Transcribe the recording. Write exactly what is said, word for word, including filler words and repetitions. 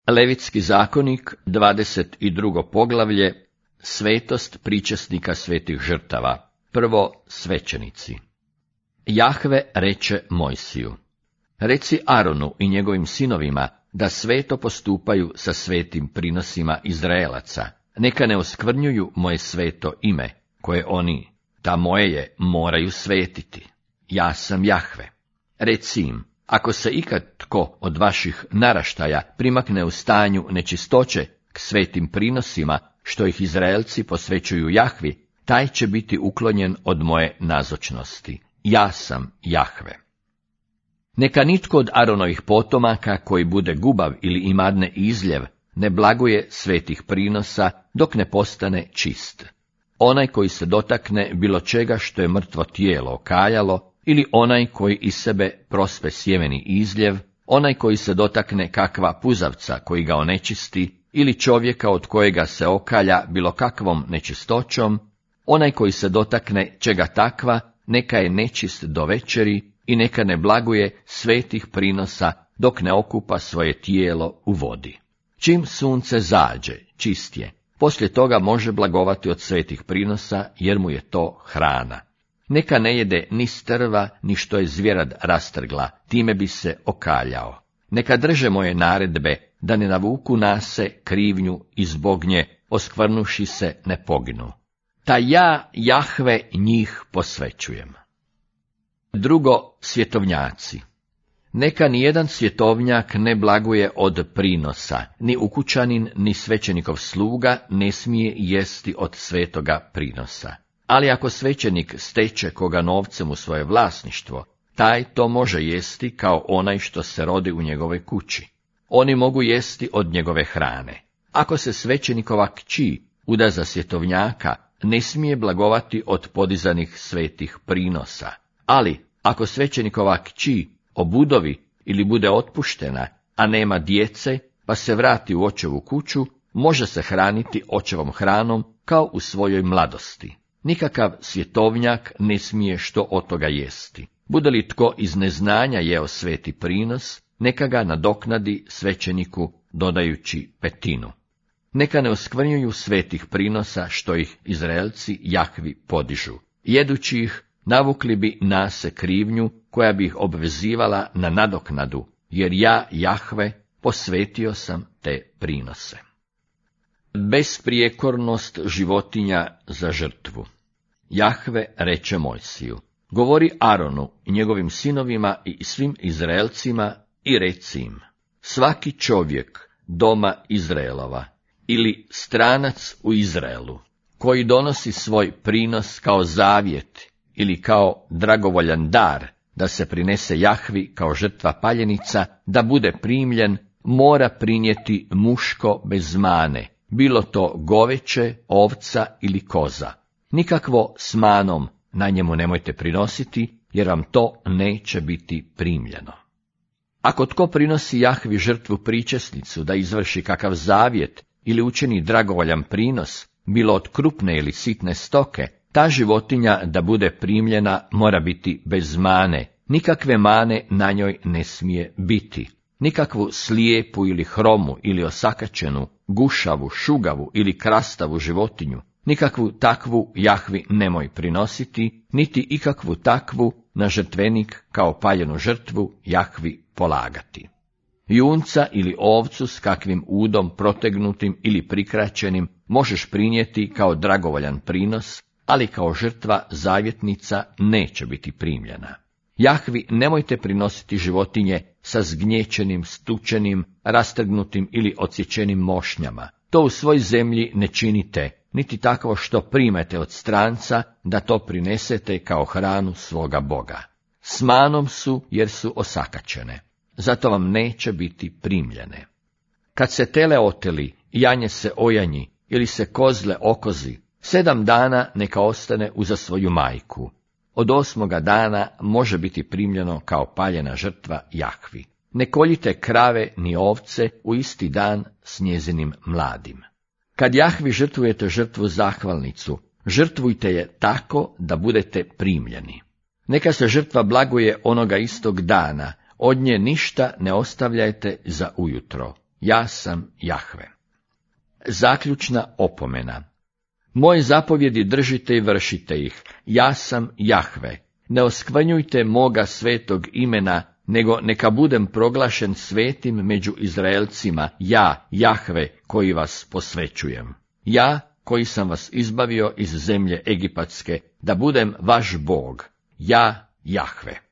Levitski zakonik, dvadeset drugo poglavlje, svetost pričesnika svetih žrtava. Prvo, svećenici. Jahve reče Mojsiju: Reci Aronu i njegovim sinovima da sveto postupaju sa svetim prinosima Izraelaca. Neka ne oskvrnjuju moje sveto ime, koje oni, ta moje je, moraju svetiti. Ja sam Jahve. Reci im: ako se ikad tko od vaših naraštaja primakne u stanju nečistoće k svetim prinosima, što ih Izraelci posvećuju Jahvi, taj će biti uklonjen od moje nazočnosti. Ja sam Jahve. Neka nitko od Aronovih potomaka koji bude gubav ili imadne izljev ne blaguje svetih prinosa dok ne postane čist. Onaj koji se dotakne bilo čega što je mrtvo tijelo okaljalo, ili onaj koji iz sebe prospe sjemeni izljev, onaj koji se dotakne kakva puzavca koji ga onečisti, ili čovjeka od kojega se okalja bilo kakvom nečistoćom, onaj koji se dotakne čega takva, neka je nečist do večeri i neka ne blaguje svetih prinosa dok ne okupa svoje tijelo u vodi. Čim sunce zađe, čist je, poslije toga može blagovati od svetih prinosa, jer mu je to hrana. Neka ne jede ni strva, ni što je zvjerad rastrgla, time bi se okaljao. Neka drže moje naredbe, da ne navuku na se krivnju i zbog nje, oskvrnuši se, ne poginu. Ta ja, Jahve, njih posvećujem. Drugo, svjetovnjaci. Neka nijedan svjetovnjak ne blaguje od prinosa, ni ukućanin, ni svećenikov sluga ne smije jesti od svetoga prinosa. Ali ako svećenik steče koga novcem u svoje vlasništvo, taj to može jesti kao onaj što se rodi u njegovoj kući. Oni mogu jesti od njegove hrane. Ako se svećenikova kći uda za svjetovnjaka, ne smije blagovati od podizanih svetih prinosa. Ali ako svećenikova kći obudovi ili bude otpuštena, a nema djece, pa se vrati u očevu kuću, može se hraniti očevom hranom kao u svojoj mladosti. Nikakav svjetovnjak ne smije što od toga jesti. Bude li tko iz neznanja jeo sveti prinos, neka ga nadoknadi svećeniku dodajući petinu. Neka ne oskvrnjuju svetih prinosa što ih Izraelci Jahvi podižu. Jedući ih, navukli bi na se krivnju koja bi ih obvezivala na nadoknadu, jer ja, Jahve, posvetio sam te prinose. Besprijekornost životinja za žrtvu. Jahve reče Mojsiju: govori Aronu i njegovim sinovima i svim Izraelcima i reci im: svaki čovjek doma Izraelova ili stranac u Izraelu, koji donosi svoj prinos kao zavjet ili kao dragovoljan dar, da se prinese Jahvi kao žrtva paljenica, da bude primljen, mora prinijeti muško bez mane, bilo to goveće, ovca ili koza. Nikakvo s manom na njemu nemojte prinositi, jer vam to neće biti primljeno. Ako tko prinosi Jahvi žrtvu pričesnicu da izvrši kakav zavjet ili učini dragovoljan prinos, bilo od krupne ili sitne stoke, ta životinja da bude primljena mora biti bez mane, nikakve mane na njoj ne smije biti. Nikakvu slijepu ili hromu ili osakačenu, gušavu, šugavu ili krastavu životinju, nikakvu takvu Jahvi nemoj prinositi, niti ikakvu takvu na žrtvenik kao paljenu žrtvu Jahvi polagati. Junca ili ovcu s kakvim udom protegnutim ili prikraćenim možeš prinijeti kao dragovoljan prinos, ali kao žrtva zavjetnica neće biti primljena. Jahvi nemojte prinositi životinje sa zgnječenim, stučenim, rastrgnutim ili odsječenim mošnjama. To u svoj zemlji ne činite, niti takvo što primete od stranca, da to prinesete kao hranu svoga Boga. S manom su, jer su osakačene. Zato vam neće biti primljene. Kad se tele oteli, janje se ojanji, ili se kozle okozi, sedam dana neka ostane uza svoju majku. Od osmoga dana može biti primljeno kao paljena žrtva Jahvi. Ne koljite krave ni ovce u isti dan s njezinim mladim. Kad Jahvi žrtvujete žrtvu zahvalnicu, žrtvujte je tako da budete primljeni. Neka se žrtva blaguje onoga istog dana, od nje ništa ne ostavljajte za ujutro. ja sam Jahve. Zaključna opomena. Moje zapovjedi držite i vršite ih, ja sam Jahve. Ne oskvrnjujte moga svetog imena, nego neka budem proglašen svetim među Izraelcima, ja, Jahve, koji vas posvećujem. Ja, koji sam vas izbavio iz zemlje egipatske, da budem vaš Bog, ja, Jahve.